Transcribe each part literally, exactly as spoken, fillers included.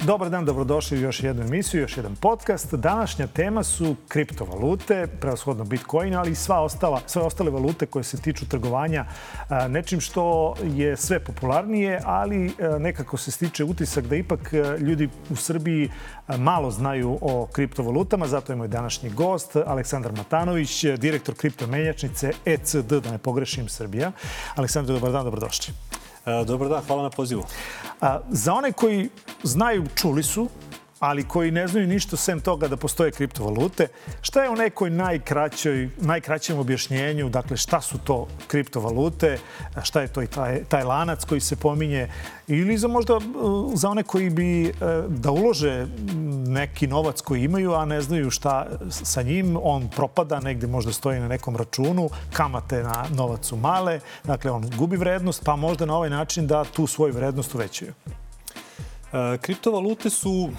Dobar dan, dobrodošli u još jednu emisiju, još jedan podcast. Današnja tema su kriptovalute, prevashodno Bitcoin, ali i sva ostala, sve ostale valute koje se tiču trgovanja nečim što je sve popularnije, ali nekako se stiče utisak da ipak ljudi u Srbiji malo znaju o kriptovalutama. Zato je moj današnji gost, Aleksandar Matanović, direktor kriptomenjačnice E C D, da ne pogrešim, Srbija. Aleksandar, dobar dan, dobrodošli. Dobar dan, hvala na pozivu. A, za one koji znaju, čuli su, ali koji ne znaju ništa sem toga da postoje kriptovalute, šta je u nekoj najkraćoj, najkraćem objašnjenju, dakle šta su to kriptovalute, šta je to i taj, taj lanac koji se pominje, ili za možda za one koji bi da ulože neki novac koji imaju, a ne znaju šta sa njim, on propada, negde možda stoji na nekom računu, kamate na novac su male, dakle on gubi vrednost, pa možda na ovaj način da tu svoju vrednost uvećaju. E, kriptovalute su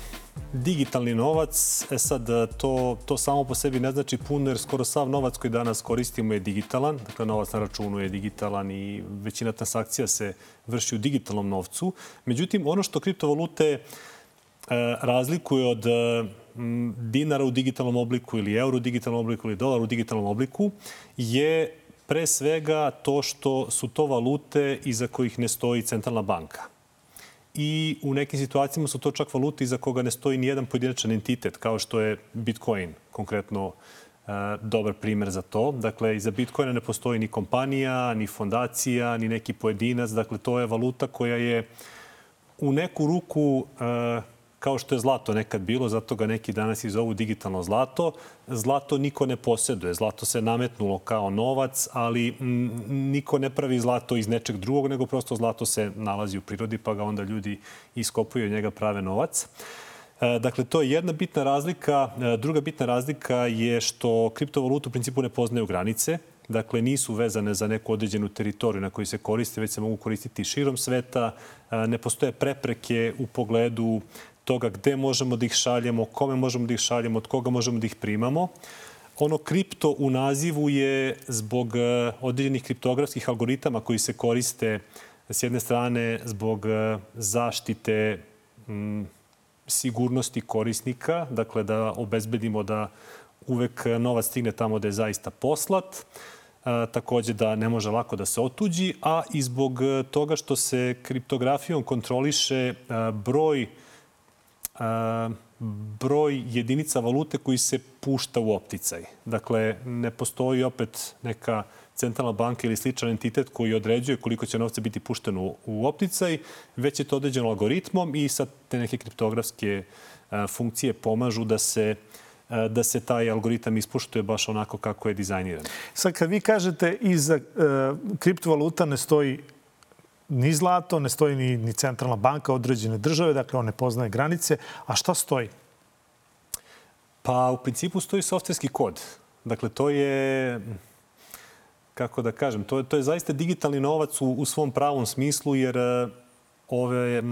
digitalni novac. E sad, to, to samo po sebi ne znači puno, jer skoro sav novac koji danas koristimo je digitalan. Dakle, novac na računu je digitalan i većina transakcija se vrši u digitalnom novcu. Međutim, ono što kriptovalute e, razlikuje od e, dinara u digitalnom obliku ili euro u digitalnom obliku ili dolar u digitalnom obliku je pre svega to što su to valute iza kojih ne stoji centralna banka. I u nekim situacijama su to čak valute iza koga ne stoji ni jedan pojedinačan entitet, kao što je Bitcoin, konkretno e, dobar primer za to. Dakle, iza Bitcoina ne postoji ni kompanija, ni fondacija, ni neki pojedinac. Dakle, to je valuta koja je u neku ruku, e, kao što je zlato nekad bilo, zato ga neki danas i zovu digitalno zlato. Zlato niko ne posjeduje. Zlato se nametnulo kao novac, ali m, niko ne pravi zlato iz nečeg drugog, nego prosto zlato se nalazi u prirodi, pa ga onda ljudi iskopuju od njega, prave novac. E, dakle, to je jedna bitna razlika. E, druga bitna razlika je što kriptovalute u principu ne poznaju granice. Dakle, nisu vezane za neku određenu teritoriju na kojoj se koriste, već se mogu koristiti širom sveta. E, ne postoje prepreke u pogledu toga gde možemo da ih šaljemo, kome možemo da ih šaljemo, od koga možemo da ih primamo. Ono kripto u nazivu je zbog određenih kriptografskih algoritama koji se koriste s jedne strane zbog zaštite m, sigurnosti korisnika, dakle da obezbedimo da uvek novac stigne tamo da je zaista poslat, a, takođe da ne može lako da se otuđi, a i zbog toga što se kriptografijom kontroliše a, broj broj jedinica valute koji se pušta u opticaj. Dakle, ne postoji opet neka centralna banka ili sličan entitet koji određuje koliko će novca biti pušteno u opticaj, već je to određeno algoritmom i sad te neke kriptografske funkcije pomažu da se da se taj algoritam ispuštuje baš onako kako je dizajniran. Sad, kad vi kažete iza uh, kriptovaluta ne stoji ni zlato, ne stoji ni, ni centralna banka određene države, dakle on ne poznaje granice. A šta stoji? Pa u principu stoji softverski kod. Dakle, to je, kako da kažem, to je, to je zaista digitalni novac u, u svom pravom smislu, jer ove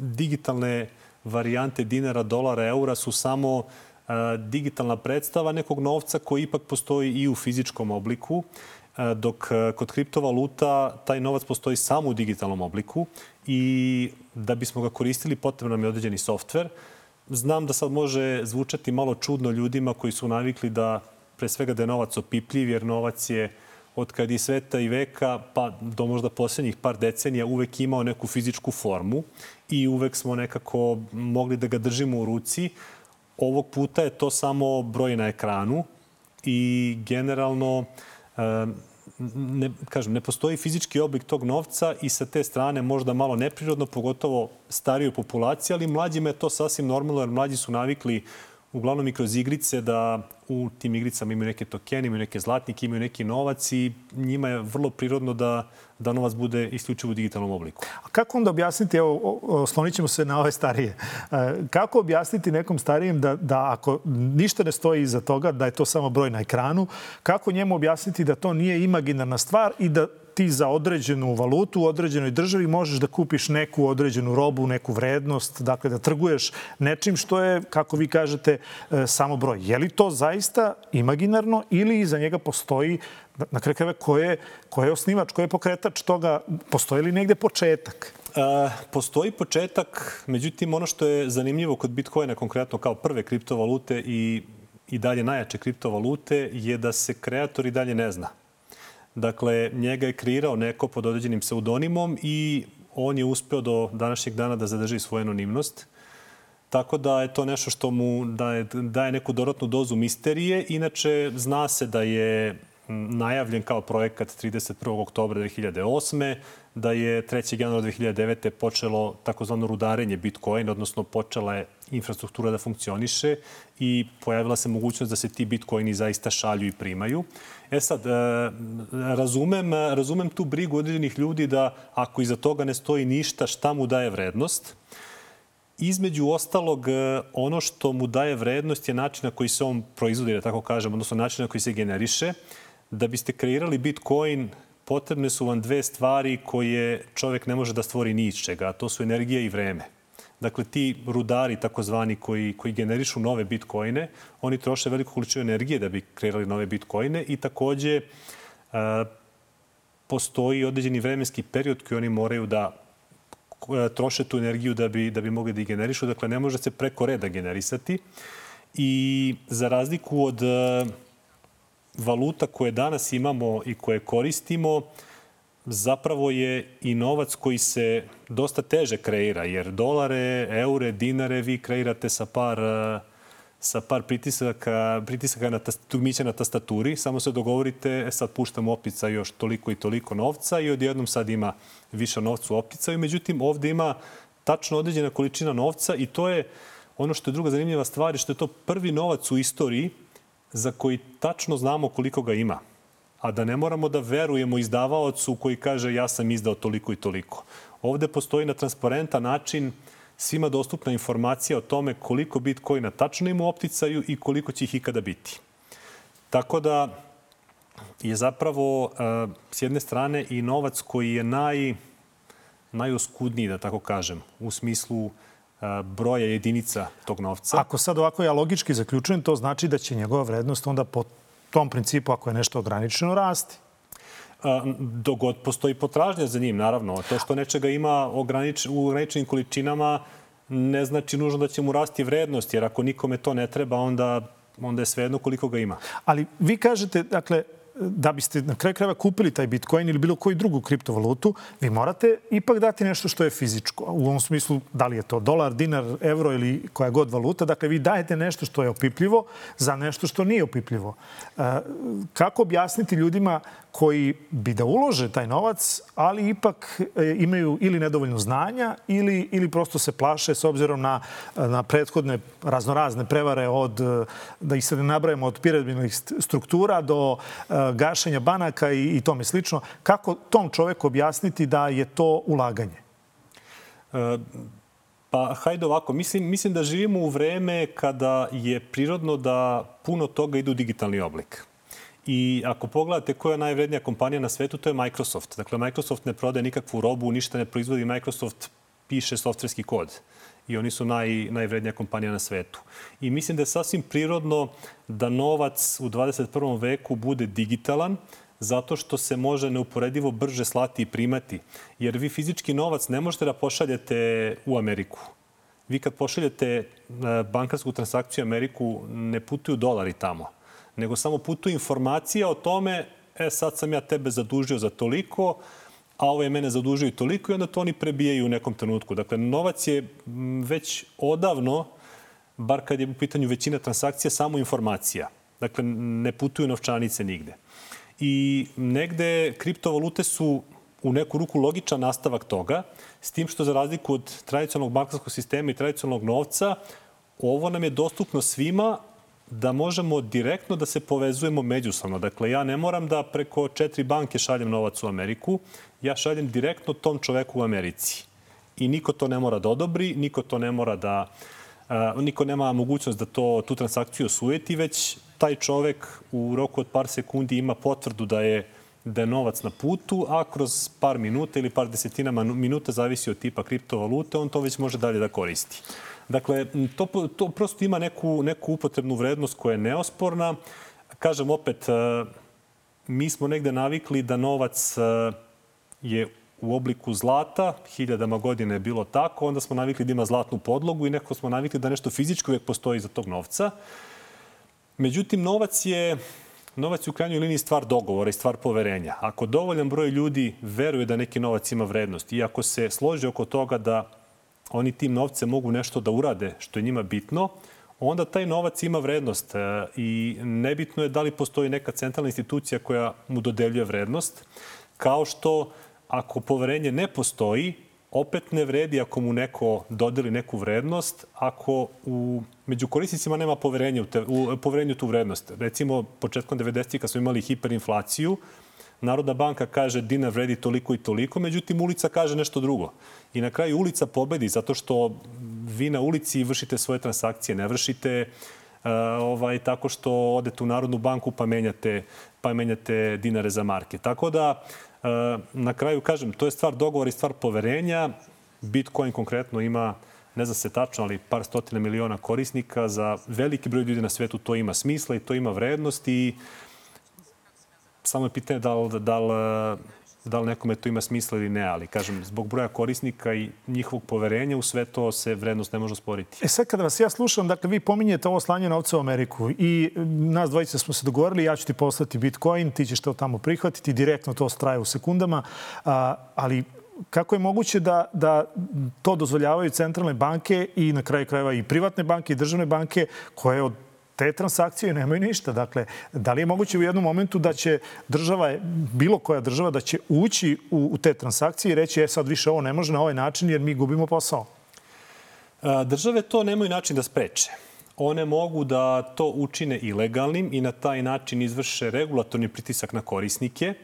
digitalne varijante dinara, dolara, eura su samo a, digitalna predstava nekog novca koji ipak postoji i u fizičkom obliku, dok kod kriptovaluta taj novac postoji samo u digitalnom obliku i da bismo ga koristili potrebno nam je određeni softver. Znam da sad može zvučati malo čudno ljudima koji su navikli da pre svega da je novac opipljiv, jer novac je od kad je sveta i veka pa do možda posljednjih par decenija uvek imao neku fizičku formu i uvek smo nekako mogli da ga držimo u ruci. Ovog puta je to samo broj na ekranu i generalno Ne, kažem, ne postoji fizički oblik tog novca i sa te strane možda malo neprirodno, pogotovo starijoj populaciji, ali mlađima je to sasvim normalno, jer mlađi su navikli uglavnom i kroz igrice da u tim igricama imaju neke tokene, imaju neke zlatnike, imaju neki novac i njima je vrlo prirodno da, da novac bude isključivo u digitalnom obliku. A kako onda objasniti, evo, oslonit ćemo se na ove starije, kako objasniti nekom starijem da, da ako ništa ne stoji iza toga, da je to samo broj na ekranu, kako njemu objasniti da to nije imaginarna stvar i da ti za određenu valutu u određenoj državi možeš da kupiš neku određenu robu, neku vrednost, dakle da trguješ nečim što je, kako vi kažete, samo broj. Je li to zaista imaginarno ili iza njega postoji, na kraju krajeva, ko je, ko je osnivač, ko je pokretač toga, postoji li negde početak? Postoji početak, međutim ono što je zanimljivo kod Bitcoina konkretno kao prve kriptovalute i, i dalje najjače kriptovalute je da se kreator i dalje ne zna. Dakle, njega je kreirao neko pod određenim pseudonimom i on je uspeo do današnjeg dana da zadrži svoju anonimnost. Tako da je to nešto što mu daje, daje neku dodatnu dozu misterije. Inače, zna se da je najavljen kao projekat trideset prvog oktobra dve hiljade osme, da je trećeg januara dve hiljade devete počelo takozvano rudarenje Bitcoin, odnosno počela je infrastruktura da funkcioniše i pojavila se mogućnost da se ti Bitcoini zaista šalju i primaju. E sad, razumem, razumem tu brigu određenih ljudi da ako iza toga ne stoji ništa, šta mu daje vrednost. Između ostalog, ono što mu daje vrednost je način na koji se on proizvodi, da tako kažem, odnosno način na koji se generiše. Da biste kreirali Bitcoin, potrebne su vam dve stvari koje čovjek ne može da stvori ni iz čega, a to su energija i vreme. Dakle, ti rudari, takozvani, koji, koji generišu nove Bitcoine, oni troše veliku količinu energije da bi kreirali nove Bitcoine i takođe a, postoji određeni vremenski period koji oni moraju da troše tu energiju da bi, da bi mogli da ih generišu. Dakle, ne može se preko reda generisati. I za razliku od valuta koje danas imamo i koje koristimo, zapravo je i novac koji se dosta teže kreira, jer dolare, eure, dinare vi kreirate sa par, sa par pritisaka, pritisaka na dugmića na tastaturi. Samo se dogovorite, sad puštam u optica još toliko i toliko novca i odjednom sad ima više novca u opticaju. Međutim, ovde ima tačno određena količina novca i to je ono što je druga zanimljiva stvar, što je to prvi novac u istoriji za koji tačno znamo koliko ga ima. A da ne moramo da verujemo izdavaocu koji kaže ja sam izdao toliko i toliko. Ovde postoji na transparentan način svima dostupna informacija o tome koliko Bitcoina tačno ima u opticaju i koliko će ih ikada biti. Tako da je zapravo s jedne strane i novac koji je naj, najoskudniji, da tako kažem, u smislu broja jedinica tog novca. Ako sad ovako ja logički zaključujem, to znači da će njegova vrednost onda po tom principu, ako je nešto ograničeno, rasti. Dok god postoji potražnja za njim, naravno. To što nečega ima ogranič, u ograničenim količinama ne znači nužno da će mu rasti vrednost, jer ako nikome to ne treba, onda, onda je svejedno koliko ga ima. Ali vi kažete, dakle, da biste na kraju krajeva kupili taj Bitcoin ili bilo koju drugu kriptovalutu, vi morate ipak dati nešto što je fizičko. U ovom smislu, da li je to dolar, dinar, evro ili koja god valuta. Dakle, vi dajete nešto što je opipljivo za nešto što nije opipljivo. Kako objasniti ljudima koji bi da ulože taj novac, ali ipak imaju ili nedovoljno znanja ili, ili prosto se plaše s obzirom na, na prethodne raznorazne prevare od, da ih se ne nabrajamo, od piramidnih struktura do gašenja banaka i, i tome slično. Kako tom čoveku objasniti da je to ulaganje? E, pa, hajde ovako. Mislim, mislim da živimo u vreme kada je prirodno da puno toga ide u digitalni oblik. I ako pogledate koja je najvrednija kompanija na svetu, to je Microsoft. Dakle, Microsoft ne prodaje nikakvu robu, ništa ne proizvodi. Microsoft piše softverski kod. I oni su naj, najvrednija kompanija na svetu. I mislim da je sasvim prirodno da novac u dvadeset prvom veku bude digitalan, zato što se može neuporedivo brže slati i primati. Jer vi fizički novac ne možete da pošaljete u Ameriku. Vi kad pošaljete bankarsku transakciju u Ameriku, ne putuju dolari tamo, nego samo putuje informacija o tome, e sad sam ja tebe zadužio za toliko, a ovo je mene zadužio i toliko i onda to oni prebijaju u nekom trenutku. Dakle, novac je već odavno, bar kad je u pitanju većina transakcija, samo informacija. Dakle, ne putuju novčanice nigde. I negde kriptovalute su u neku ruku logičan nastavak toga, s tim što za razliku od tradicionalnog bankarskog sistema i tradicionalnog novca, ovo nam je dostupno svima da možemo direktno da se povezujemo međusobno. Dakle, ja ne moram da preko četiri banke šaljem novac u Ameriku, ja šaljem direktno tom čoveku u Americi. I niko to ne mora da odobri, niko to ne mora da... Uh, niko nema mogućnost da to, tu transakciju osujeti, već taj čovek u roku od par sekundi ima potvrdu da je, da je novac na putu, a kroz par minuta ili par desetina minuta, zavisi od tipa kriptovalute, on to već može dalje da koristi. Dakle, to, to prosto ima neku, neku upotrebnu vrednost koja je neosporna. Kažem opet, mi smo negde navikli da novac je u obliku zlata, hiljadama godina je bilo tako, onda smo navikli da ima zlatnu podlogu i nekako smo navikli da nešto fizičko uvijek postoji iza tog novca. Međutim, novac je, novac je u krajnjoj liniji stvar dogovora i stvar poverenja. Ako dovoljan broj ljudi veruje da neki novac ima vrednost i ako se složi oko toga da oni tim novcem mogu nešto da urade što je njima bitno, onda taj novac ima vrednost i nebitno je da li postoji neka centralna institucija koja mu dodeljuje vrednost, kao što ako poverenje ne postoji, opet ne vredi ako mu neko dodeli neku vrednost, ako u, među korisnicima nema poverenja u, te, u poverenju tu vrednost. Recimo, početkom devedesetih kad smo imali hiperinflaciju, Narodna banka kaže dinar vredi toliko i toliko, međutim ulica kaže nešto drugo. I na kraju ulica pobedi zato što vi na ulici vršite svoje transakcije, ne vršite uh, ovaj, tako što odete u Narodnu banku pa menjate, pa menjate dinare za marke. Tako da, uh, na kraju kažem, to je stvar dogovora i stvar poverenja. Bitcoin konkretno ima, ne znam se tačno, ali par stotina miliona korisnika. Za veliki broj ljudi na svetu to ima smisla i to ima vrednost i samo je pitanje da li, da, li, da li nekome to ima smisla ili ne, ali kažem, zbog broja korisnika i njihovog poverenja u sve to se vrednost ne može osporiti. E sad kada vas ja slušam, dakle vi pominjete ovo slanje novca u Ameriku i nas dvojice smo se dogovorili, ja ću ti poslati Bitcoin, ti ćeš to tamo prihvatiti, direktno to straje u sekundama, a, ali kako je moguće da, da to dozvoljavaju centralne banke i na kraju krajeva i privatne banke i državne banke koje od te transakcije nemaju ništa. Dakle, da li je moguće u jednom momentu da će država, bilo koja država, da će ući u, u te transakcije i reći, e sad više ovo ne može na ovaj način jer mi gubimo posao? Države to nemaju način da spreče. One mogu da to učine ilegalnim i na taj način izvrše regulatorni pritisak na korisnike,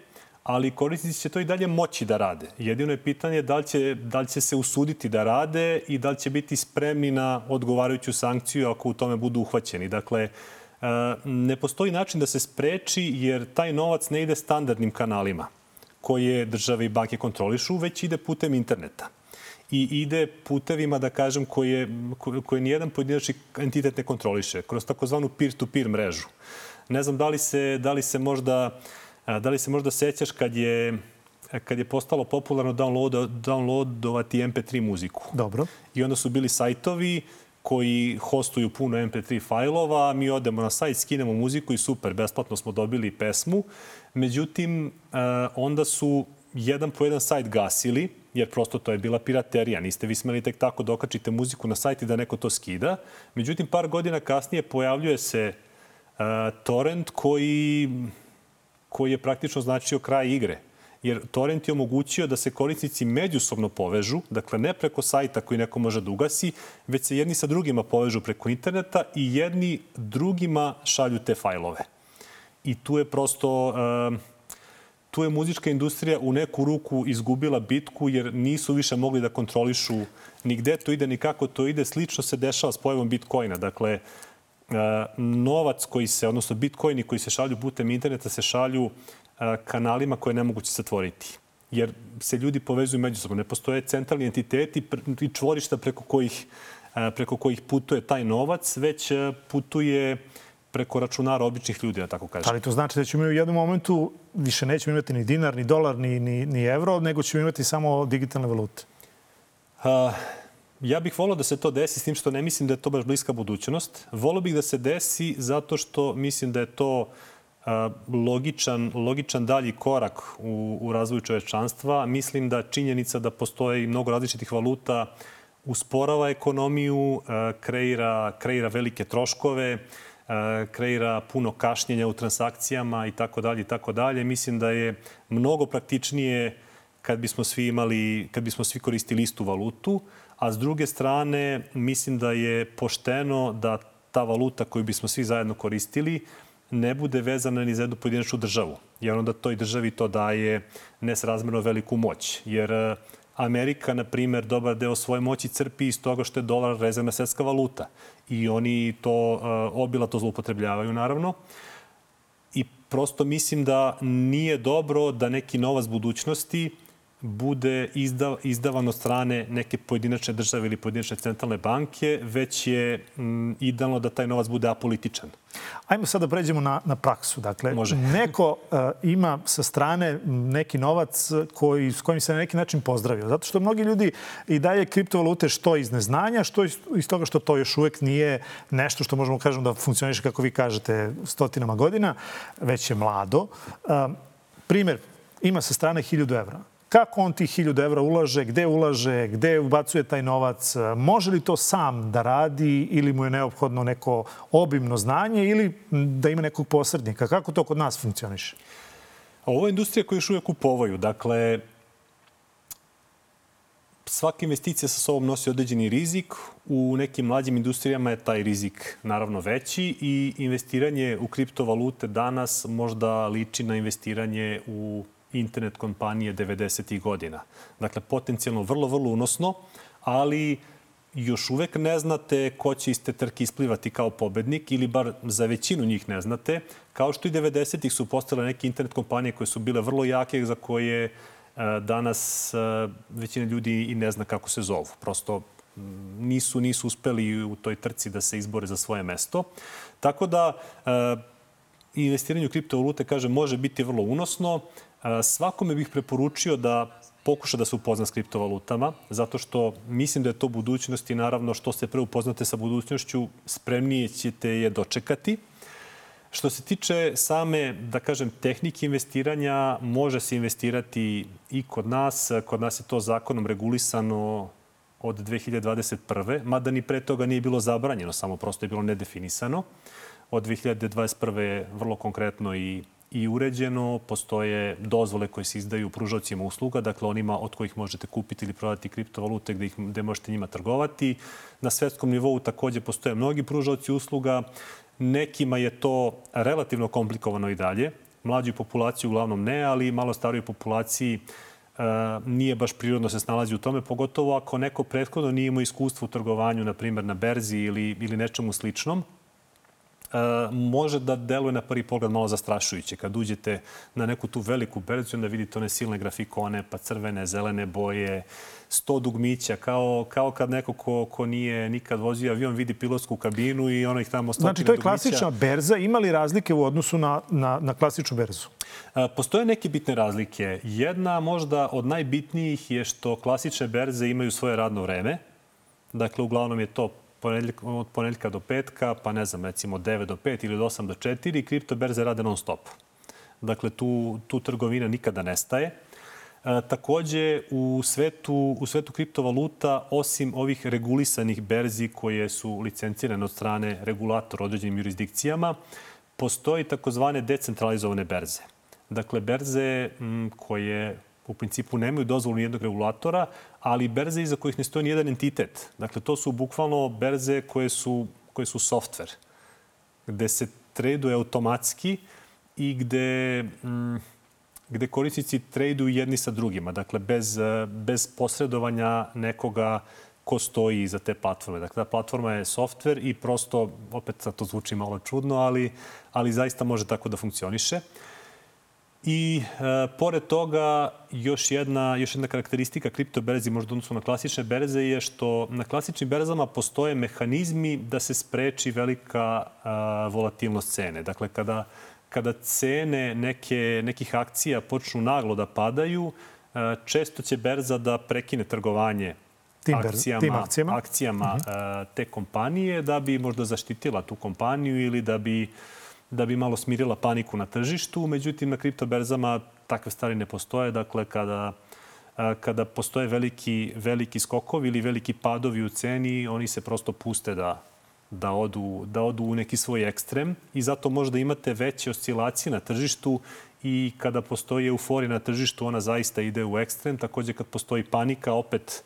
ali korisnici će to i dalje moći da rade. Jedino je pitanje da li će, da li će se usuditi da rade i da li će biti spremni na odgovarajuću sankciju ako u tome budu uhvaćeni. Dakle, ne postoji način da se spreči jer taj novac ne ide standardnim kanalima koje države i banke kontrolišu, već ide putem interneta. I ide putevima, da kažem, koje, koje nijedan pojedinačni entitet ne kontroliše, kroz takozvanu peer-to-peer mrežu. Ne znam da li se, da li se možda Da li se možda sećaš kad je, kad je postalo popularno download, downloadovati em pe tri muziku? Dobro. I onda su bili sajtovi koji hostuju puno em pe tri fajlova, mi odemo na sajt, skinemo muziku i super, besplatno smo dobili pesmu. Međutim, onda su jedan po jedan sajt gasili, jer prosto to je bila piraterija. Niste vi smeli tek tako da okačite muziku na sajt i da neko to skida. Međutim, par godina kasnije pojavljuje se torrent koji... koji je praktično značio kraj igre. Jer torrent je omogućio da se korisnici međusobno povežu, dakle ne preko sajta koji neko može da ugasi, već se jedni sa drugima povežu preko interneta i jedni drugima šalju te fajlove. I tu je prosto, uh, tu je muzička industrija u neku ruku izgubila bitku jer nisu više mogli da kontrolišu ni gde to ide, ni kako to ide. Slično se dešava s pojavom Bitcoina. Dakle, novac koji se, odnosno bitcoini koji se šalju putem interneta se šalju kanalima koje je nemoguće zatvoriti. Jer se ljudi povezuju međusobno. Ne postoje centralni entiteti i čvorišta preko kojih, preko kojih putuje taj novac, već putuje preko računara običnih ljudi, da tako kažem. Ali to znači da ćemo u jednom momentu više nećemo imati ni dinar, ni dolar, ni, ni, ni evro, nego ćemo imati samo digitalne valute? Uh, Ja bih volio da se to desi, s tim što ne mislim da je to baš bliska budućnost. Volio bih da se desi zato što mislim da je to a, logičan, logičan dalji korak u, u razvoju čovečanstva. Mislim da činjenica da postoje mnogo različitih valuta usporava ekonomiju, a, kreira, kreira velike troškove, a, kreira puno kašnjenja u transakcijama i tako dalje i tako dalje. Mislim da je mnogo praktičnije kad bismo svi imali, kad bismo svi koristili istu valutu. A s druge strane, mislim da je pošteno da ta valuta koju bismo svi zajedno koristili ne bude vezana ni za jednu pojedinačnu državu. Jer onda toj državi to daje nesrazmerno veliku moć. Jer Amerika, na primjer, dobar deo svoje moći crpi iz toga što je dolar rezervna svetska valuta. I oni to obilato zloupotrebljavaju, naravno. I prosto mislim da nije dobro da neki novac budućnosti bude izdav, izdavan od strane neke pojedinačne države ili pojedinačne centralne banke, već je m, idealno da taj novac bude apolitičan. Ajmo sad da pređemo na, na praksu. Dakle, Može. neko uh, ima sa strane neki novac koji, s kojim se na neki način pozdravio. Zato što mnogi ljudi i daje kriptovalute što iz neznanja, što iz, iz toga što to još uvek nije nešto što možemo kažem da funkcioniše, kako vi kažete, stotinama godina, već je mlado. Uh, primer, ima sa strane hiljadu evra. Kako on tih hiljadu evra ulaže, gde ulaže, gde ubacuje taj novac, može li to sam da radi ili mu je neophodno neko obimno znanje ili da ima nekog posrednika? Kako to kod nas funkcioniše? Ovo je industrija koju još uvijek kupovaju. Dakle, svaka investicija sa sobom nosi određeni rizik. U nekim mlađim industrijama je taj rizik naravno veći i investiranje u kriptovalute danas možda liči na investiranje u internet kompanije devedesetih godina. Dakle, potencijalno vrlo, vrlo unosno, ali još uvek ne znate ko će iz te trke isplivati kao pobednik ili bar za većinu njih ne znate. Kao što i devedesetih su postale neke internet kompanije koje su bile vrlo jake, za koje e, danas e, većina ljudi i ne zna kako se zovu. Prosto nisu, nisu uspeli u toj trci da se izbore za svoje mesto. Tako da e, investiranje u kriptovalute, kažem, može biti vrlo unosno. Svakome bih preporučio da pokuša da se upozna s kriptovalutama, zato što mislim da je to budućnost i naravno što se pre upoznate sa budućnošću, spremnije ćete je dočekati. Što se tiče same, da kažem, tehnike investiranja, može se investirati i kod nas. Kod nas je to zakonom regulisano od dve hiljade dvadeset prve. Mada ni pre toga nije bilo zabranjeno, samo prosto je bilo nedefinisano. Od dve hiljade dvadeset prve je vrlo konkretno i i uređeno. Postoje dozvole koje se izdaju pružaocima usluga, dakle onima od kojih možete kupiti ili prodati kriptovalute gde, ih, gde možete njima trgovati. Na svetskom nivou takođe postoje mnogi pružaoci usluga. Nekima je to relativno komplikovano i dalje. Mlađoj populaciji uglavnom ne, ali malo starijoj populaciji e, nije baš prirodno se snalazi u tome, pogotovo ako neko prethodno nije imao iskustvo u trgovanju, na primjer na berzi ili, ili nečemu sličnom. Uh, može da deluje na prvi pogled malo zastrašujuće. Kad uđete na neku tu veliku berzu, onda vidite one silne grafikone, pa crvene, zelene boje, sto dugmića, kao, kao kad neko ko, ko nije nikad vozio avion vidi pilotsku kabinu i ono ih tamo stotine dugmića. Znači, to je klasična berza. Ima li razlike u odnosu na, na, na klasičnu berzu? Uh, postoje neke bitne razlike. Jedna možda od najbitnijih je što klasične berze imaju svoje radno vreme. Dakle, uglavnom je to od ponedeljka do petka, pa ne znam, recimo od devet do pet ili od osam do četiri, kripto berze rade non stop. Dakle, tu, tu trgovina nikada nestaje. E, takođe, u svetu, u svetu kriptovaluta, osim ovih regulisanih berzi koje su licencirane od strane regulatora određenim jurisdikcijama, postoji takozvane decentralizovane berze. Dakle, berze m, koje u principu nemaju dozvolu nijednog regulatora, ali berze iza kojih ne stoji nijedan entitet. Dakle, to su bukvalno berze koje su, koje su softver, gde se traduje automatski i gde, m, gde korisnici traduju jedni sa drugima. Dakle, bez, bez posredovanja nekoga ko stoji iza te platforme. Dakle, ta platforma je softver i prosto, opet sad to zvuči malo čudno, ali, ali zaista može tako da funkcioniše. I e, pored toga, još jedna, još jedna karakteristika kriptoberzi, možda odnosno na klasične berze, je što na klasičnim berzama postoje mehanizmi da se spreči velika a, volatilnost cene. Dakle, kada, kada cene neke, nekih akcija počnu naglo da padaju, a, često će berza da prekine trgovanje tim akcijama, tim akcijama, akcijama uh-huh. a, te kompanije da bi možda zaštitila tu kompaniju ili da bi da bi malo smirila paniku na tržištu. Međutim, na kriptoberzama takve stvari ne postoje. Dakle, kada, kada postoje veliki, veliki skokovi ili veliki padovi u ceni, oni se prosto puste da, da, odu, da odu u neki svoj ekstrem i zato možda imate veće oscilacije na tržištu i kada postoji euforija na tržištu, ona zaista ide u ekstrem. Takođe, kad postoji panika, opet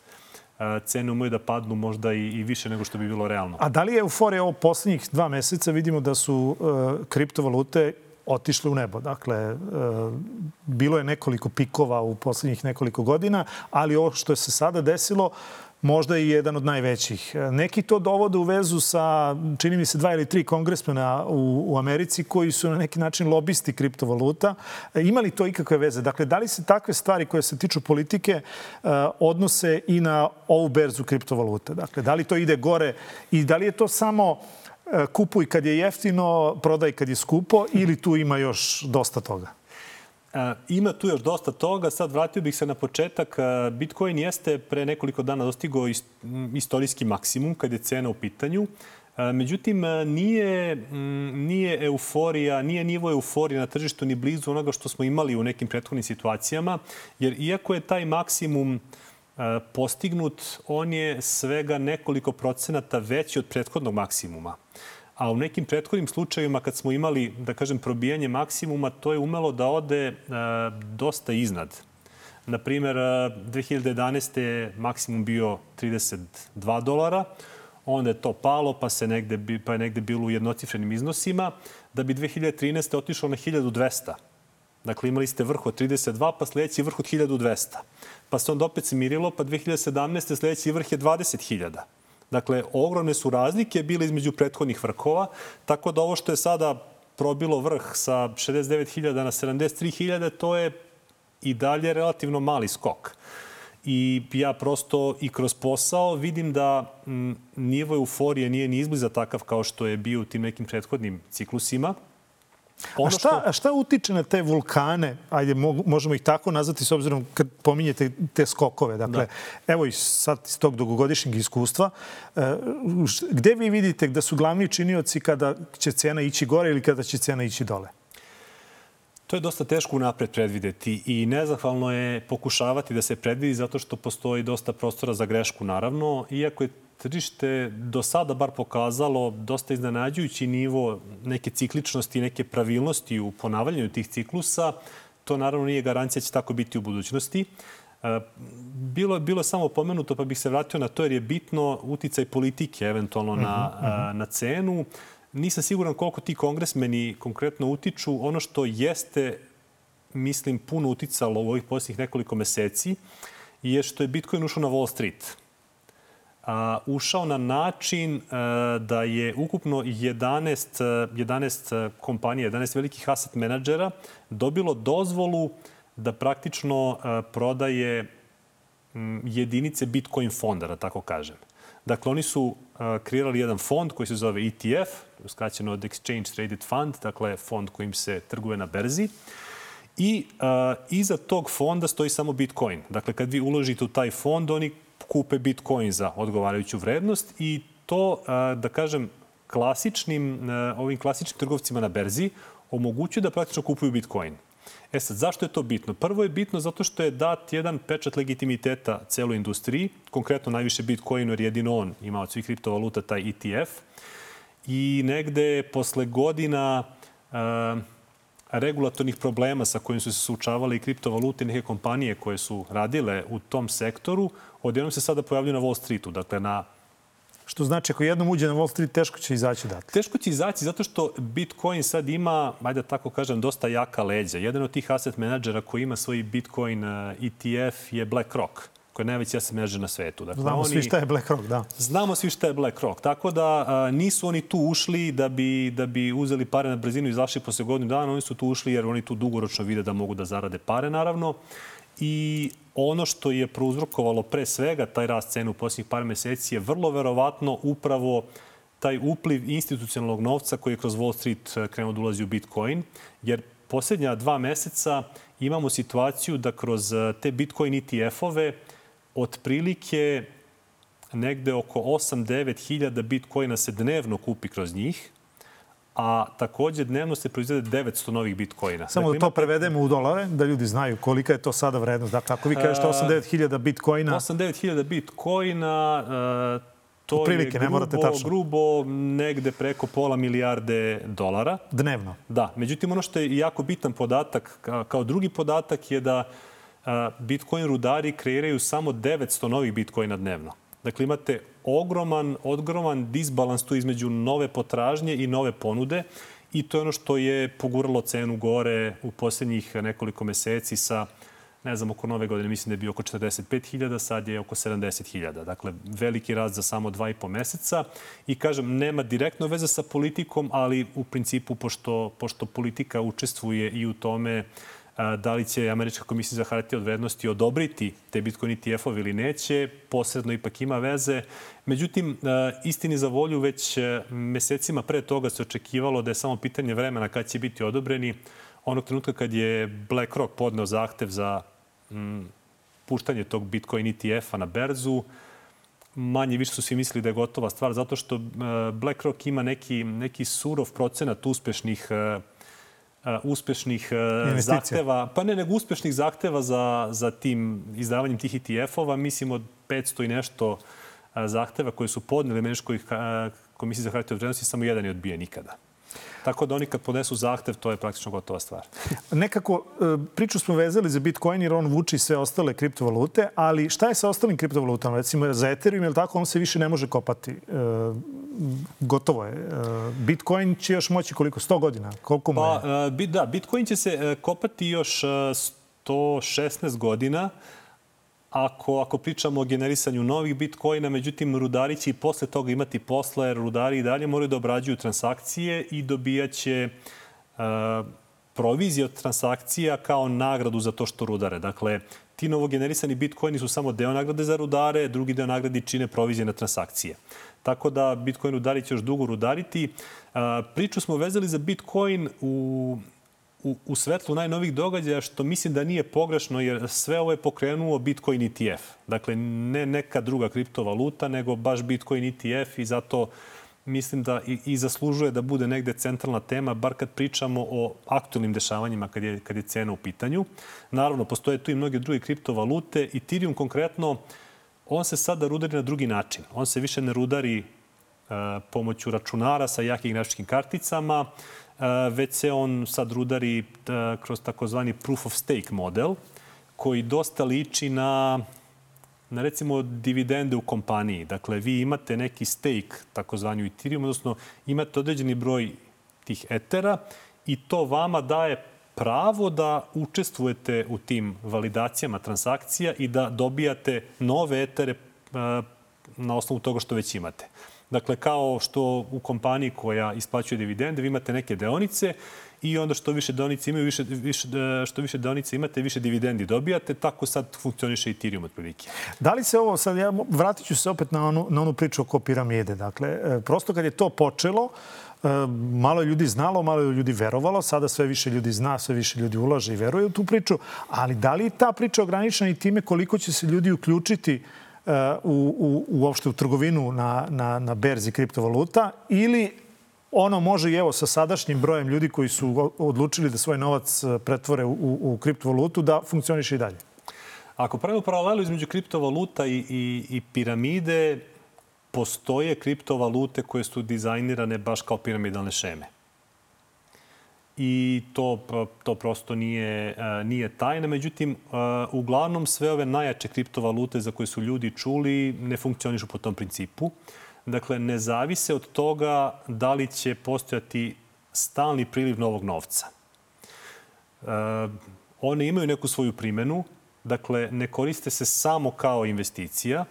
cene umeju da padnu možda i, i više nego što bi bilo realno. A da li je euforija ovo poslednjih dva meseca? Vidimo da su uh, kriptovalute otišle u nebo. Dakle, uh, bilo je nekoliko pikova u poslednjih nekoliko godina, ali ovo što je se sada desilo možda i jedan od najvećih. Neki to dovode u vezu sa, čini mi se, dva ili tri kongresmena u, u Americi koji su na neki način lobisti kriptovaluta. Ima li to ikakve veze? Dakle, da li se takve stvari koje se tiču politike odnose i na ovu berzu kriptovaluta? Dakle, da li to ide gore i da li je to samo kupuj kad je jeftino, prodaj kad je skupo ili tu ima još dosta toga? Ima tu još dosta toga. Sad vratio bih se na početak. Bitcoin jeste pre nekoliko dana dostigao istorijski maksimum kad je cena u pitanju. Međutim, nije, nije euforija, nije nivo euforije na tržištu ni blizu onoga što smo imali u nekim prethodnim situacijama. Jer iako je taj maksimum postignut, on je svega nekoliko procenata veći od prethodnog maksimuma. A u nekim prethodnim slučajevima kad smo imali, da kažem, probijanje maksimuma, to je umelo da ode e, dosta iznad. Naprimer, dve hiljade jedanaeste je maksimum bio trideset dva dolara, onda je to palo, pa, se negde, pa je negde bilo u jednocifrenim iznosima, da bi dve hiljade trinaeste otišlo na hiljadu dvesta. Dakle, imali ste vrh od trideset dva, pa sledeći vrh od hiljadu dvesta. Pa se onda opet smirilo, pa dve hiljade sedamnaeste sledeći vrh je dvadeset hiljada. Dakle, ogromne su razlike bile između prethodnih vrhova, tako da ovo što je sada probilo vrh sa šezdeset devet hiljada na sedamdeset tri hiljade, to je i dalje relativno mali skok. I ja prosto i kroz posao vidim da m, nivo euforije nije ni izbliza takav kao što je bio u tim nekim prethodnim ciklusima. Ono a šta, što... šta utiče na te vulkane? Ajde, možemo ih tako nazvati s obzirom kad pominjete te skokove. Dakle, da. Evo i sad iz tog dugogodišnjeg iskustva. Gde vi vidite da su glavni činioci kada će cena ići gore ili kada će cena ići dole? To je dosta teško unapred predvideti i nezahvalno je pokušavati da se predvidi zato što postoji dosta prostora za grešku, naravno. Iako je tržište do sada bar pokazalo dosta iznenađujući nivo neke cikličnosti i neke pravilnosti u ponavljanju tih ciklusa, to naravno nije garancija da će tako biti u budućnosti. Bilo, bilo je samo pomenuto, pa bih se vratio na to jer je bitno uticaj politike eventualno na, uh-huh. na cenu. Nisam siguran koliko ti kongresmeni konkretno utiču. Ono što jeste, mislim, puno uticalo u ovih posljednjih nekoliko meseci je što je Bitcoin ušao na Wall Street. A, ušao na način a, da je ukupno jedanaest, jedanaest kompanija, jedanaest velikih asset menadžera dobilo dozvolu da praktično a, prodaje m, jedinice Bitcoin fonda, da tako kažem. Dakle, oni su a, kreirali jedan fond koji se zove E T F, skraćeno od Exchange Traded Fund, dakle fond kojim se trguje na berzi. I a, iza tog fonda stoji samo Bitcoin. Dakle, kad vi uložite u taj fond, oni kupe Bitcoin za odgovarajuću vrednost i to, da kažem, klasičnim, ovim klasičnim trgovcima na berzi omogućuje da praktično kupuju Bitcoin. E sad, zašto je to bitno? Prvo je bitno zato što je dat jedan pečat legitimiteta celoj industriji, konkretno najviše Bitcoinu jer jedino on ima od svih kriptovaluta taj E T F. I negde posle godina uh, regulatornih problema sa kojim su se suočavale i kriptovalute i neke kompanije koje su radile u tom sektoru, odjednom se sada pojavljaju na Wall Streetu. Dakle, na... Što znači, ako jednom uđe na Wall Street, teško će izaći odatle. Teško će izaći zato što Bitcoin sad ima, ajde da tako kažem, dosta jaka leđa. Jedan od tih asset menadžera koji ima svoj Bitcoin E T F je BlackRock, koji je najveći asset menadžer na svetu. Dakle, znamo oni... svi šta je BlackRock, da. Znamo svi šta je BlackRock. Tako da a, nisu oni tu ušli da bi, da bi uzeli pare na brzinu i izašli posle godinu dana. Oni su tu ušli jer oni tu dugoročno vide da mogu da zarade pare, naravno. I ono što je prouzrokovalo pre svega taj rast cenu u posljednjih par meseci je vrlo verovatno upravo taj upliv institucionalnog novca koji je kroz Wall Street krenuo da ulazi u Bitcoin. Jer posljednja dva meseca imamo situaciju da kroz te Bitcoin E T F-ove otprilike negde oko osam do devet hiljada Bitcoina se dnevno kupi kroz njih, a takođe dnevno se proizvede devetsto novih Bitcoina. Samo dakle, da to imate... prevedemo u dolare, da ljudi znaju kolika je to sada vrednost. Dakle, ako vi kažete osam do devet hiljada Bitcoina... osam do devet hiljada Bitcoina, uh, to prilike, je grubo, grubo negde preko pola milijarde dolara. Dnevno? Da. Međutim, ono što je jako bitan podatak, kao drugi podatak je da uh, Bitcoin rudari kreiraju samo devetsto novih Bitcoina dnevno. Dakle, imate ogroman, ogroman disbalans tu između nove potražnje i nove ponude i to je ono što je poguralo cenu gore u posljednjih nekoliko meseci sa ne znam, oko nove godine mislim da je bio oko četrdeset pet hiljada, sad je oko sedamdeset hiljada. Dakle, veliki rast za samo dva i po meseca. I kažem, nema direktno veze sa politikom, ali u principu, pošto, pošto politika učestvuje i u tome da li će Američka komisija za hartije od vrednosti odobriti te Bitcoin E T F-ove ili neće, posredno ipak ima veze. Međutim, istini za volju, već mesecima pre toga se očekivalo da je samo pitanje vremena kad će biti odobreni. Onog trenutka kad je BlackRock podneo zahtev za mm, puštanje tog Bitcoin E T F-a na berzu, manje više su svi mislili da je gotova stvar, zato što BlackRock ima neki, neki surov procenat uspešnih Uh, uspešnih uh, zahteva, pa ne nego uspešnih zahteva za, za tim izdavanjem tih E T F-ova. Mislim od petsto i nešto uh, zahteva koje su podneli Američkoj uh, komisiji za hartije od vrednosti, samo jedan je odbijen nikada. Tako da oni kad podnesu zahtev, to je praktično gotova stvar. Nekako priču smo vezali za Bitcoin jer on vuči sve ostale kriptovalute, ali šta je sa ostalim kriptovalutama? Recimo za Ethereum, je li tako, on se više ne može kopati. E, gotovo je. Bitcoin će još moći koliko? sto godina? Koliko mu je? Pa, da, Bitcoin će se kopati još sto šesnaest godina. Ako, ako pričamo o generisanju novih bitcoina, međutim, rudari će i posle toga imati posla, jer rudari i dalje moraju da obrađuju transakcije i dobijaće uh, provizije od transakcija kao nagradu za to što rudare. Dakle, ti novogenerisani bitcoini su samo deo nagrade za rudare, drugi deo nagrade čine provizije na transakcije. Tako da Bitcoin rudari će još dugo rudariti. Uh, priču smo vezali za Bitcoin u... U, u svetlu najnovih događaja, što mislim da nije pogrešno, jer sve ovo je pokrenuo Bitcoin E T F. Dakle, ne neka druga kriptovaluta, nego baš Bitcoin E T F i zato mislim da i, i zaslužuje da bude negde centralna tema, bar kad pričamo o aktualnim dešavanjima kad je, kad je cena u pitanju. Naravno, postoje tu i mnoge druge kriptovalute. Ethereum konkretno, on se sada rudari na drugi način. On se više ne rudari uh, pomoću računara sa jakim grafičkim karticama, već se on sad rudari kroz takozvani proof of stake model, koji dosta liči na, na recimo dividende u kompaniji. Dakle, vi imate neki stake, takozvani u Ethereum, odnosno imate određeni broj tih etera i to vama daje pravo da učestvujete u tim validacijama transakcija i da dobijate nove etere na osnovu toga što već imate. Dakle, kao što u kompaniji koja isplaćuje dividende, vi imate neke deonice i onda što više deonice imaju, više, više, što više deonice imate, više dividendi dobijate. Tako sad funkcioniše Ethereum otprilike. Da li se ovo, sad ja vratit ću se opet na onu, na onu priču oko piramide. Dakle, prosto kad je to počelo, malo je ljudi znalo, malo je ljudi verovalo. Sada sve više ljudi zna, sve više ljudi ulaže i veruje u tu priču. Ali da li je ta priča ograničena i time koliko će se ljudi uključiti U, u, uopšte u trgovinu na, na, na berzi kriptovaluta ili ono može i evo sa sadašnjim brojem ljudi koji su odlučili da svoj novac pretvore u, u kriptovalutu da funkcioniše i dalje? Ako pravimo paralelu između kriptovaluta i, i, i piramide, postoje kriptovalute koje su dizajnirane baš kao piramidalne šeme. I to, to prosto nije, nije tajna. Međutim, uglavnom sve ove najjače kriptovalute za koje su ljudi čuli ne funkcionišu po tom principu. Dakle, ne zavise od toga da li će postojati stalni priliv novog novca. One imaju neku svoju primenu. Dakle, ne koriste se samo kao investicija,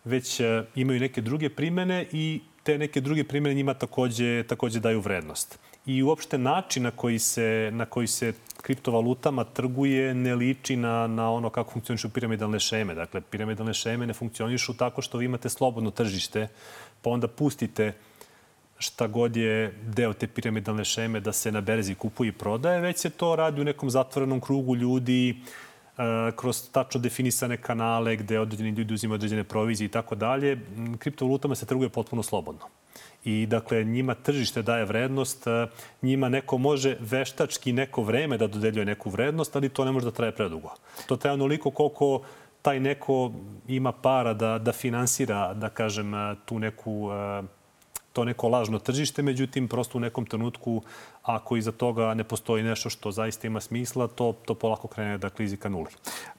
već imaju neke druge primene i te neke druge primene njima takođe, takođe daju vrednost. I uopšte način na koji se, na koji se kriptovalutama trguje ne liči na, na ono kako funkcionišu piramidalne šeme. Dakle, piramidalne šeme ne funkcionišu tako što vi imate slobodno tržište, pa onda pustite šta god je deo te piramidalne šeme da se na berzi kupuje i prodaje, već se to radi u nekom zatvorenom krugu ljudi, kroz tačno definisane kanale gde određeni ljudi uzimaju određene provizije i tako dalje. Kriptovalutama se trguje potpuno slobodno. I dakle, njima tržište daje vrednost, njima neko može veštački neko vreme da dodeljuje neku vrednost, ali to ne može da traje predugo. To traje onoliko koliko taj neko ima para da, da finansira, da kažem, tu neku, to neko lažno tržište. Međutim, prosto u nekom trenutku, ako iza toga ne postoji nešto što zaista ima smisla, to, to polako krene da klizi ka nuli.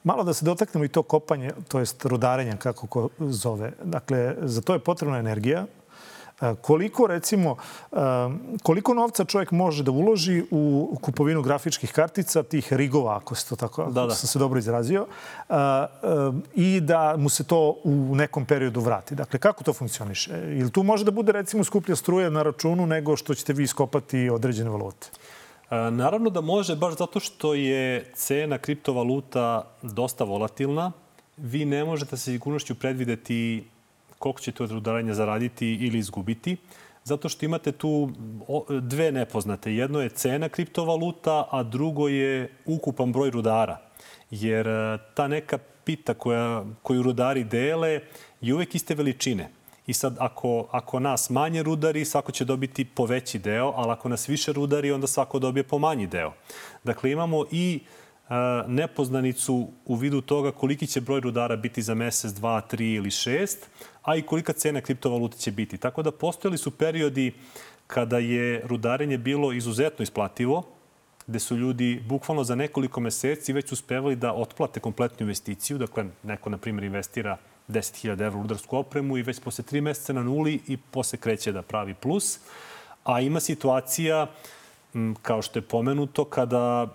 Malo da se dotaknemo i to kopanje, to jest rudarenja, kako ko zove. Dakle, za to je potrebna energija. Koliko, recimo, koliko novca čovjek može da uloži u kupovinu grafičkih kartica, tih rigova, ako se to tako, da, da. sam se dobro izrazio, i da mu se to u nekom periodu vrati. Dakle, kako to funkcioniše? Ili tu može da bude, recimo, skuplja struja na računu nego što ćete vi iskopati određene valute? Naravno da može, baš zato što je cena kriptovaluta dosta volatilna. Vi ne možete sa sigurnošću predvideti koliko ćete od rudarenja zaraditi ili izgubiti, zato što imate tu dve nepoznate. Jedno je cena kriptovaluta, a drugo je ukupan broj rudara. Jer ta neka pita koja, koju rudari dele je uvek iste veličine. I sad, ako, ako nas manje rudari, svako će dobiti po veći deo, ali ako nas više rudari, onda svako dobije po manji deo. Dakle, imamo i a, nepoznanicu u vidu toga koliki će broj rudara biti za mesec, dva, tri ili šest, a i kolika cena kriptovalute će biti. Tako da postojali su periodi kada je rudarenje bilo izuzetno isplativo, gde su ljudi bukvalno za nekoliko meseci već uspevali da otplate kompletnu investiciju. Dakle, neko, na primjer, investira deset hiljada evra u rudarsku opremu i već posle tri meseca na nuli i posle kreće da pravi plus. A ima situacija, kao što je pomenuto, kada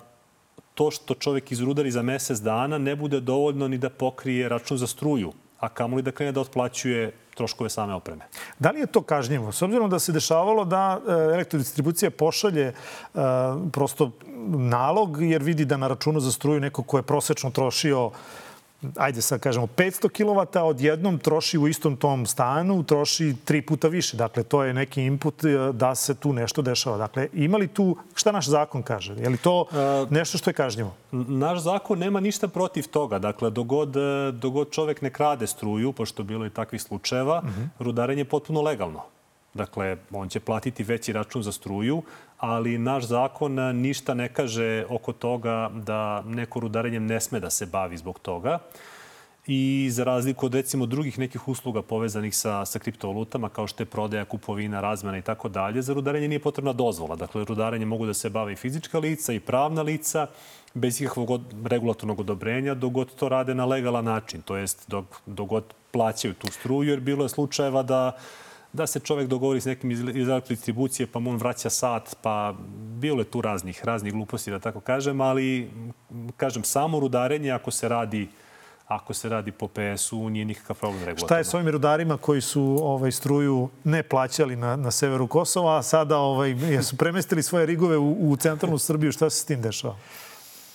to što čovjek izrudari za mesec dana ne bude dovoljno ni da pokrije račun za struju, a kamoli da krene da otplaćuje troškove same opreme. Da li je to kažnjivo? S obzirom da se dešavalo da elektrodistribucija pošalje prosto nalog jer vidi da na računu za struju neko ko je prosečno trošio, ajde sad kažemo, petsto kilovata, odjednom troši u istom tom stanu, troši tri puta više. Dakle, to je neki input da se tu nešto dešava. Dakle, ima li tu, šta naš zakon kaže? Je li to nešto što je kažnjivo? Naš zakon nema ništa protiv toga. Dakle, dogod, dogod čovek ne krade struju, pošto bilo i takvih slučajeva, uh-huh. rudarenje je potpuno legalno. Dakle, on će platiti veći račun za struju, ali naš zakon ništa ne kaže oko toga da neko rudarenjem ne sme da se bavi zbog toga. I za razliku od, recimo, drugih nekih usluga povezanih sa, sa kriptovalutama, kao što je prodaja, kupovina, razmena i tako dalje, za rudarenje nije potrebna dozvola. Dakle, rudarenje mogu da se bave i fizička lica i pravna lica, bez ikakvog regulatornog odobrenja, dok god to rade na legalan način. To jest, dok, dok god plaćaju tu struju, jer bilo je slučajeva da da se čovjek dogovori s nekim iz elektrodistribucije, pa mu on vraća sat, pa bilo je tu raznih, raznih gluposti, da tako kažem, ali, kažem, samo rudarenje, ako se radi, ako se radi po P S-u, nije nikakav problem regulatorno. Šta je s ovim rudarima koji su ovaj, struju ne plaćali na, na severu Kosova, a sada ovaj, su premestili svoje rigove u, u centralnu Srbiju? Šta se s tim dešava?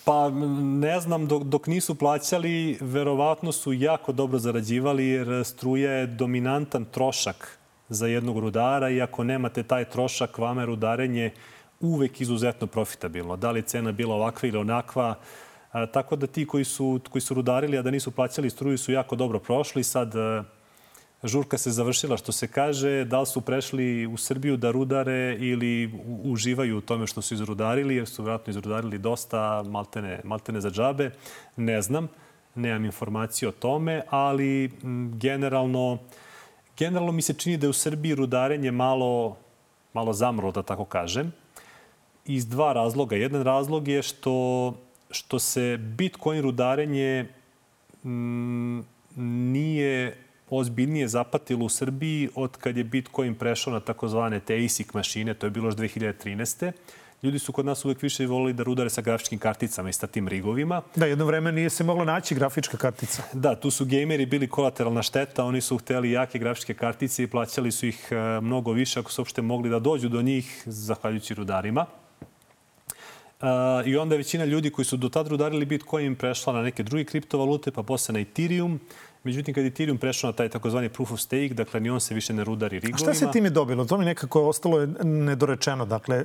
Pa ne znam, dok, dok nisu plaćali, verovatno su jako dobro zarađivali, jer struja je dominantan trošak za jednog rudara i ako nemate taj trošak, vama je rudarenje uvek izuzetno profitabilno. Da li je cena bila ovakva ili onakva. A, tako da ti koji su, koji su rudarili, a da nisu plaćali struju, su jako dobro prošli. Sad a, žurka se završila, što se kaže. Da li su prešli u Srbiju da rudare ili u, uživaju u tome što su izrudarili, jer su vjerojatno izrudarili dosta, maltene, maltene za džabe. Ne znam, nemam informaciju o tome, ali m, generalno Generalno mi se čini da je u Srbiji rudarenje malo, malo zamrlo, da tako kažem, iz dva razloga. Jedan razlog je što, što se Bitcoin rudarenje m, nije ozbiljnije zapatilo u Srbiji od kad je Bitcoin prešao na takozvane te A S I C mašine, to je bilo još dve hiljade trinaeste. Ljudi su kod nas uvek više volili da rudare sa grafičkim karticama i sa tim rigovima. Da, jedno vreme nije se mogla naći grafička kartica. Da, tu su gejmeri bili kolateralna šteta. Oni su hteli jake grafičke kartice i plaćali su ih mnogo više ako su uopšte mogli da dođu do njih, zahvaljujući rudarima. I onda je većina ljudi koji su do tad rudarili Bitcoin prešla na neke druge kriptovalute, pa posle na Ethereum. Međutim, kad je Ethereum prešao na taj takozvani proof of stake, dakle, ni on se više ne rudari rigovima. A šta se time dobilo? To mi nekako je ostalo nedorečeno. Dakle,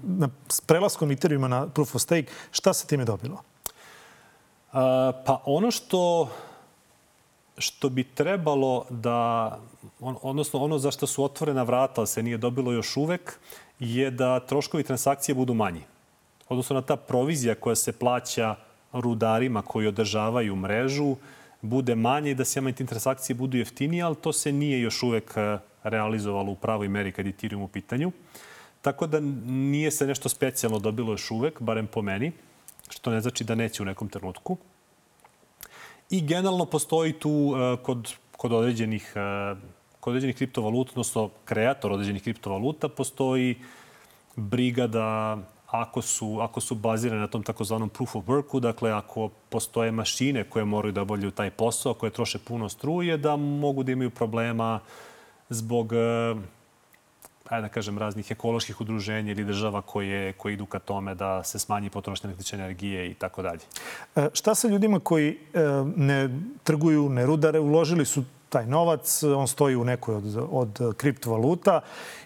na prelaskom Ethereuma na proof of stake, šta se time dobilo? A, pa ono što, što bi trebalo da, on, odnosno ono za što su otvorena vrata, ali se nije dobilo još uvek, je da troškovi transakcije budu manji. Odnosno na ta provizija koja se plaća rudarima koji održavaju mrežu, bude manje i da sjama te transakcije budu jeftinije, ali to se nije još uvek realizovalo u pravoj meri kad je Ethereum u pitanju. Tako da nije se nešto specijalno dobilo još uvek, barem po meni, što ne znači da neće u nekom trenutku. I generalno postoji tu kod, kod određenih kod određenih kriptovaluta, odnosno kreator određenih kriptovaluta, postoji briga da ako su, ako su bazirane na tom takozvanom proof of worku, dakle ako postoje mašine koje moraju da obavljaju taj posao, koje troše puno struje, da mogu da imaju problema zbog, ajde da kažem, raznih ekoloških udruženja ili država koje, koje idu ka tome da se smanji potrošnja električne energije i tako dalje. Šta sa ljudima koji ne trguju, ne rudare, uložili su taj novac, on stoji u nekoj od, od kriptovaluta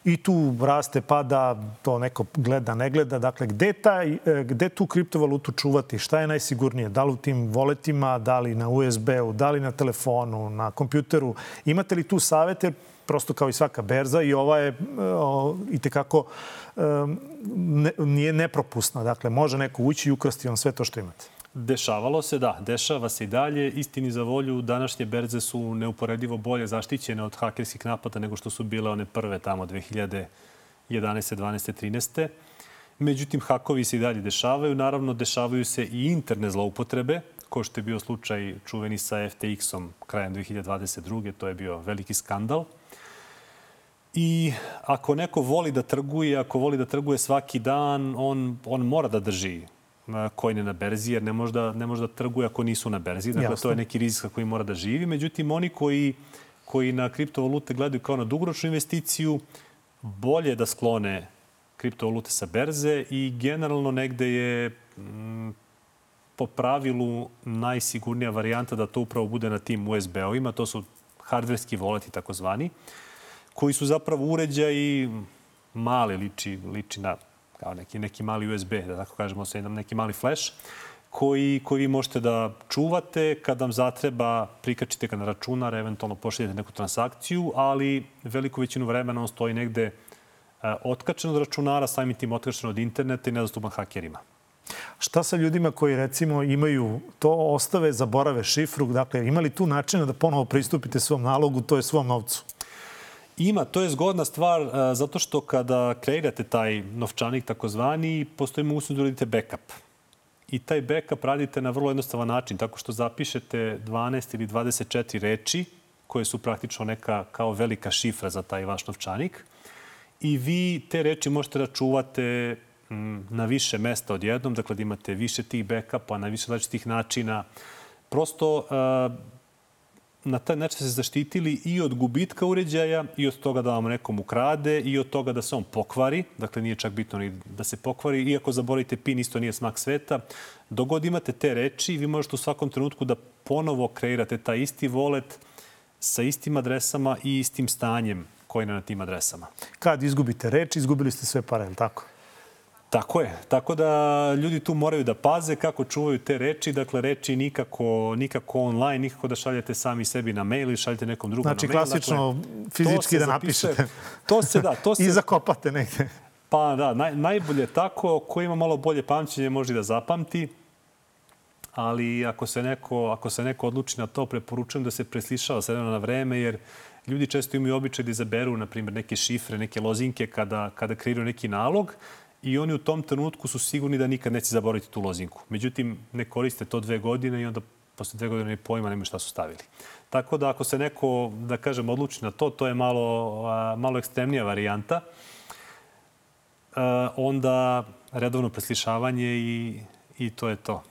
i tu raste, pada, to neko gleda, ne gleda. Dakle, gde, taj, gde tu kriptovalutu čuvati? Šta je najsigurnije? Da li u tim voletima, da li na U S B-u, da li na telefonu, na kompjuteru? Imate li tu savete? Prosto kao i svaka berza i ova je o, itekako ne, nije nepropusna. Dakle, može neko ući i ukrasti vam sve to što imate. Dešavalo se, da. Dešava se i dalje. Istini za volju, današnje berze su neuporedivo bolje zaštićene od hakerskih napada nego što su bile one prve tamo dve hiljade jedanaeste, dvanaeste, trinaeste. Međutim, hakovi se i dalje dešavaju. Naravno, dešavaju se i interne zloupotrebe, kao što je bio slučaj čuveni sa F T X-om krajem dve hiljade dvadeset druge. To je bio veliki skandal. I ako neko voli da trguje, ako voli da trguje svaki dan, on, on mora da drži kojne na berzi, jer ne može da, ne može da trguje ako nisu na berzi. Dakle, Jasne. To je neki rizik koji mora da živi. Međutim, oni koji, koji na kriptovalute gledaju kao na dugoročnu investiciju, bolje da sklone kriptovalute sa berze i generalno negde je m, po pravilu najsigurnija varijanta da to upravo bude na tim U S B-ovima. To su hardverski voleti takozvani, koji su zapravo uređaji mali, liči, liči na kao neki, neki mali U S B, da tako kažemo, neki mali flash, koji, koji vi možete da čuvate. Kad vam zatreba, prikačite ga na računar, eventualno pošaljete neku transakciju, ali veliku većinu vremena on stoji negde otkačen od računara, samim tim otkačen od interneta i nedostupan hakerima. Šta sa ljudima koji, recimo, imaju to, ostave, zaborave šifru? Dakle, ima li tu načina da ponovo pristupite svom nalogu, to je svom novcu? Ima, to je zgodna stvar zato što kada kreirate taj novčanik takozvani, postoji mogućnost da uradite backup. I taj backup radite na vrlo jednostavan način, tako što zapišete dvanaest ili dvadeset četiri reči koje su praktično neka kao velika šifra za taj vaš novčanik. I vi te reči možete da čuvate na više mesta odjednom, dakle da imate više tih backupa na više različitih načina. Prosto na taj način se zaštitili i od gubitka uređaja, i od toga da vam nekom ukrade, i od toga da se on pokvari. Dakle, nije čak bitno ni da se pokvari. Iako zaboravite PIN, isto nije smak sveta. Dok god imate te reči, vi možete u svakom trenutku da ponovo kreirate taj isti wallet sa istim adresama i istim stanjem koji je na tim adresama. Kad izgubite reči, izgubili ste sve pare, je li tako? Tako je. Tako da ljudi tu moraju da paze kako čuvaju te reči. Dakle, reči nikako, nikako online, nikako da šaljete sami sebi na mail ili šaljete nekom drugom znači, na mail. Znači, klasično dakle, fizički da napišete. To se da. To se, I zakopate negde. Pa da, naj, najbolje tako. Ko ima malo bolje pamćenje može da zapamti. Ali ako se neko, ako se neko odluči na to, preporučujem da se preslišava s vremena na vreme, jer ljudi često imaju običaj da izaberu, na primjer, neke šifre, neke lozinke kada, kada kreiraju neki nalog. I oni u tom trenutku su sigurni da nikad neće zaboraviti tu lozinku. Međutim, ne koriste to dve godine i onda posle dve godine pojma nema šta su stavili. Tako da ako se neko, da kažem, odluči na to, to je malo, malo ekstremnija varijanta. Onda redovno preslišavanje i, i to je to.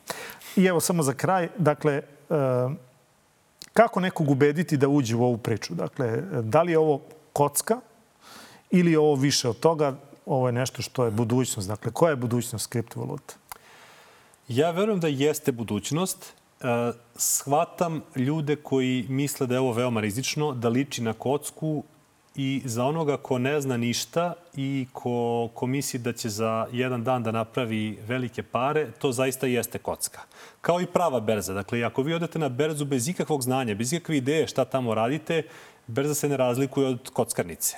I evo samo za kraj, dakle, kako nekog ubediti da uđe u ovu priču? Dakle, da li je ovo kocka ili je ovo više od toga? Ovo je nešto što je budućnost. Dakle, koja je budućnost kriptovaluta? Ja verujem da jeste budućnost. Shvatam ljude koji misle da je ovo veoma rizično, da liči na kocku i za onoga ko ne zna ništa i ko, ko misli da će za jedan dan da napravi velike pare, to zaista jeste kocka. Kao i prava berza. Dakle, ako vi odete na berzu bez ikakvog znanja, bez ikakve ideje šta tamo radite, berza se ne razlikuje od kockarnice.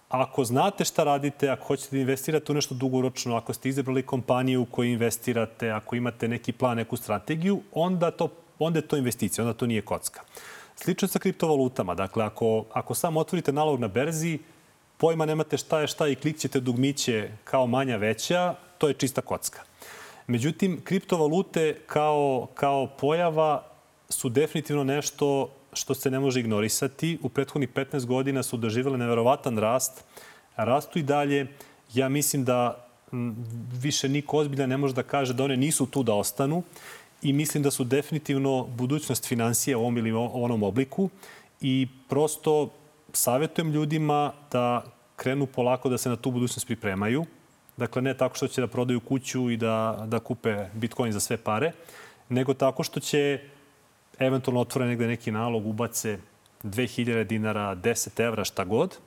Ako znate šta radite, ako hoćete da investirate u nešto dugoročno, ako ste izabrali kompaniju u kojoj investirate, ako imate neki plan, neku strategiju, onda, to, onda je to investicija, onda to nije kocka. Slično sa kriptovalutama. Dakle, ako, ako samo otvorite nalog na berzi, pojma nemate šta je šta i klikćete dugmiće kao manja veća, to je čista kocka. Međutim, kriptovalute kao, kao pojava su definitivno nešto što se ne može ignorisati. U prethodnih petnaest godina su doživjele neverovatan rast. Rastu i dalje. Ja mislim da više niko ozbiljan ne može da kaže da one nisu tu da ostanu i mislim da su definitivno budućnost finansija u ovom ili onom obliku i prosto savjetujem ljudima da krenu polako da se na tu budućnost pripremaju. Dakle, ne tako što će da prodaju kuću i da, da kupe Bitcoin za sve pare, nego tako što će eventualno otvore negde neki nalog, ubace dve hiljade dinara, deset evra, šta god,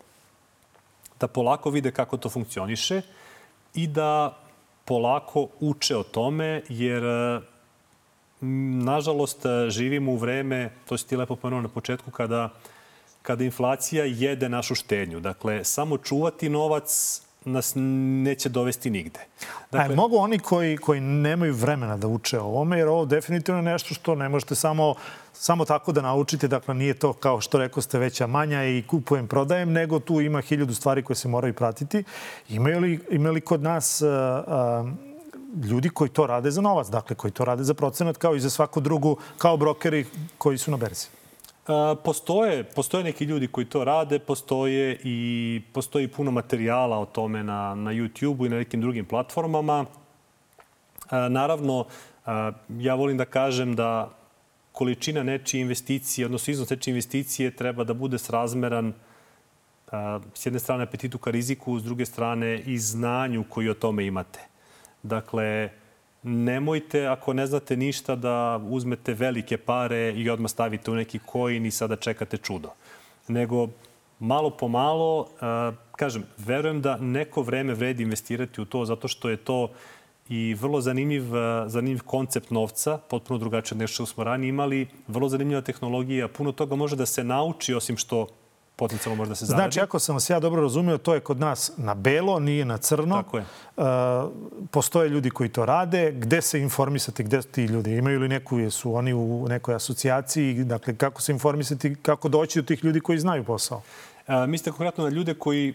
da polako vide kako to funkcioniše i da polako uče o tome, jer nažalost živimo u vreme, to si ti lepo pomenuo na početku, kada, kada inflacija jede našu štednju. Dakle, samo čuvati novac nas neće dovesti nigde. Dakle, A mogu oni koji, koji nemaju vremena da uče o ovome, jer ovo definitivno je nešto što ne možete samo, samo tako da naučite. Dakle, nije to kao što rekao ste veća manja i kupujem, prodajem, nego tu ima hiljadu stvari koje se moraju pratiti. Imaju li, imaju li kod nas a, a, ljudi koji to rade za novac, dakle, koji to rade za procenat kao i za svaku drugu, kao brokeri koji su na berzi? Postoje, postoje neki ljudi koji to rade, postoje i postoji puno materijala o tome na, na YouTube-u i na nekim drugim platformama. Naravno, ja volim da kažem da količina nečije investicije, odnosno iznos nečije investicije treba da bude srazmeran s jedne strane apetitu ka riziku, s druge strane i znanju koji o tome imate. Dakle, nemojte, ako ne znate ništa, da uzmete velike pare i odmah stavite u neki coin i sada čekate čudo. Nego, malo po malo, kažem, verujem da neko vreme vredi investirati u to, zato što je to i vrlo zanimljiv, zanimljiv koncept novca, potpuno drugačije od nešto što smo ranije imali, vrlo zanimljiva tehnologija, puno toga može da se nauči, osim što potencijalno može da se zaradi. Znači, ako sam vas ja dobro razumio, to je kod nas na belo, nije na crno. Tako je. Uh, postoje ljudi koji to rade. Gde se informisati, gde ti ljudi? Imaju li neku, su oni u nekoj asocijaciji? Dakle, kako se informisati, kako doći do tih ljudi koji znaju posao? Uh, mislite konkretno na ljude koji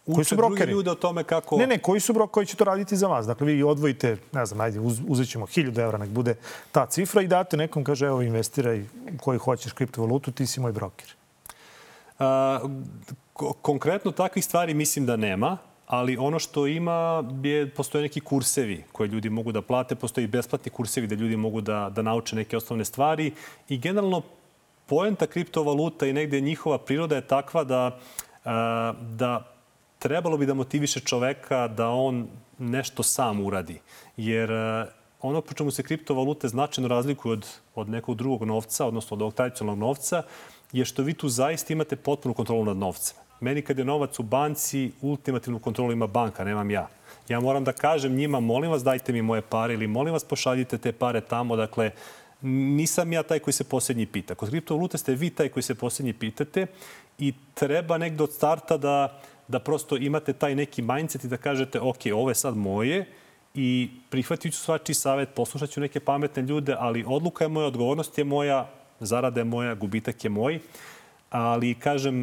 uh, uče druge ljude o tome kako... Ne, ne, koji su brokeri koji će to raditi za vas? Dakle, vi odvojite, ne znam, ajde, uz, uzet ćemo hiljadu evra, nek bude ta cifra i date nekom, kaže, evo, investiraj koji hoćeš kriptovalutu, ti si moj broker. Uh, konkretno takvih stvari mislim da nema, ali ono što ima je, postoje neki kursevi koje ljudi mogu da plate, postoji besplatni kursevi da ljudi mogu da, da nauče neke osnovne stvari i generalno poenta kriptovaluta i negde njihova priroda je takva da, uh, da trebalo bi da motiviše čoveka da on nešto sam uradi. Jer uh, ono po čemu se kriptovalute značajno razlikuju od, od nekog drugog novca, odnosno od ovog tradicionalnog novca, je što vi tu zaista imate potpunu kontrolu nad novcem. Meni kad je novac u banci, ultimativnu kontrolu ima banka, nemam ja. Ja moram da kažem njima, molim vas dajte mi moje pare ili molim vas pošaljite te pare tamo. Dakle, nisam ja taj koji se posljednji pita. Kod kriptovalute ste vi taj koji se posljednji pitate i treba negdje od starta da, da prosto imate taj neki mindset i da kažete ok, ovo je sad moje i prihvatit ću svačiji savjet, poslušat ću neke pametne ljude, ali odluka je moja, odgovornost je moja, zarada je moja, gubitak je moj. Ali, kažem,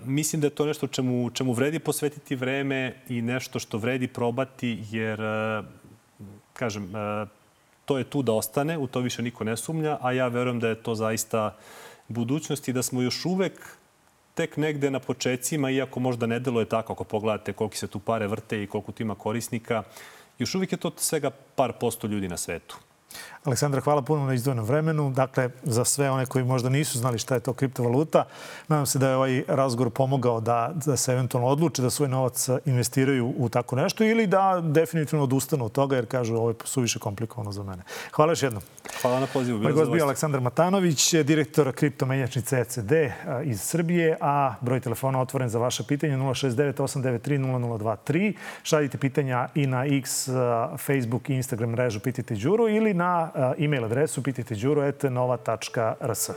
mislim da je to nešto čemu, čemu vredi posvetiti vreme i nešto što vredi probati, jer, kažem, to je tu da ostane, u to više niko ne sumnja, a ja verujem da je to zaista budućnost i da smo još uvek tek negde na počecima, iako možda ne deluje tako, ako pogledate koliko se tu pare vrte i koliko tu ima korisnika, još uvijek je to svega par posto ljudi na svetu. Aleksandra, hvala puno na izdvojenom vremenu. Dakle, za sve one koji možda nisu znali šta je to kriptovaluta, nadam se da je ovaj razgovor pomogao da, da se eventualno odluče da svoj novac investiraju u tako nešto ili da definitivno odustanu od toga jer kažu ovo je suviše komplikovano za mene. Hvala još jednom. Hvala na pozivu. Moj gost bio Aleksandar Matanović, direktor kriptomenjačnice E C D iz Srbije, a broj telefona otvoren za vaše pitanje nula šest devet osam devet tri nula nula dva tri. Šaljite pitanja i na X, Facebook i Instagram mrežu Pitajte Đuru ili na e-mail adresu pitajte đuru et nova tačka r s.